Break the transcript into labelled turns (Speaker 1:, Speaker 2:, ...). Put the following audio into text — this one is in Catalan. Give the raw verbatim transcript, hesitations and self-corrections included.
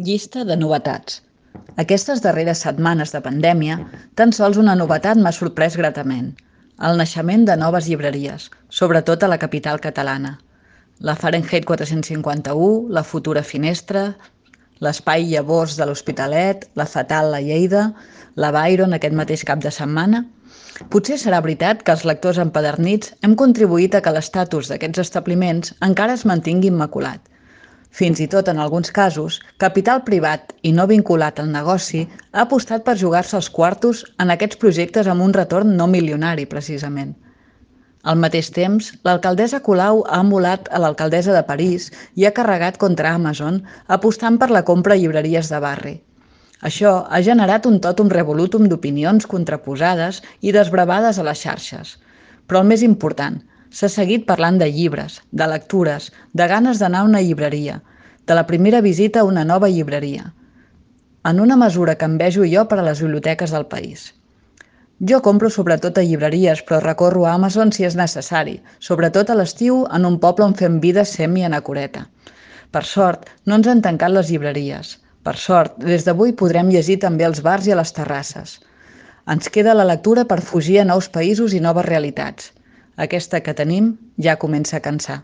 Speaker 1: Llista de novetats. Aquestes darreres setmanes de pandèmia, tan sols una novetat m'ha sorprès gratament: el naixement de noves llibreries, sobretot a la capital catalana. La Fahrenheit quatre-cents cinquanta-u, la futura Finestra, l'Espai Llavors de l'Hospitalet, la Fatal a Lleida, la Byron aquest mateix cap de setmana. Potser serà veritat que els lectors empadernits hem contribuït a que l'estatus d'aquests establiments encara es mantingui immaculat. Fins i tot, en alguns casos, capital privat i no vinculat al negoci ha apostat per jugar-se els quartos en aquests projectes amb un retorn no milionari, precisament. Al mateix temps, l'alcaldessa Colau ha emulat a l'alcaldessa de París i ha carregat contra Amazon apostant per la compra a llibreries de barri. Això ha generat un totum revolutum d'opinions contraposades i desbravades a les xarxes. Però el més important, s'ha seguit parlant de llibres, de lectures, de ganes d'anar a una llibreria, de la primera visita a una nova llibreria, en una mesura que envejo jo per a les biblioteques del país. Jo compro sobretot a llibreries, però recorro a Amazon si és necessari, sobretot a l'estiu en un poble on fem vida semi-anacoreta. Per sort, no ens han tancat les llibreries. Per sort, des d'avui podrem llegir també als bars i a les terrasses. Ens queda la lectura per fugir a nous països i noves realitats. Aquesta que tenim ja comença a cansar.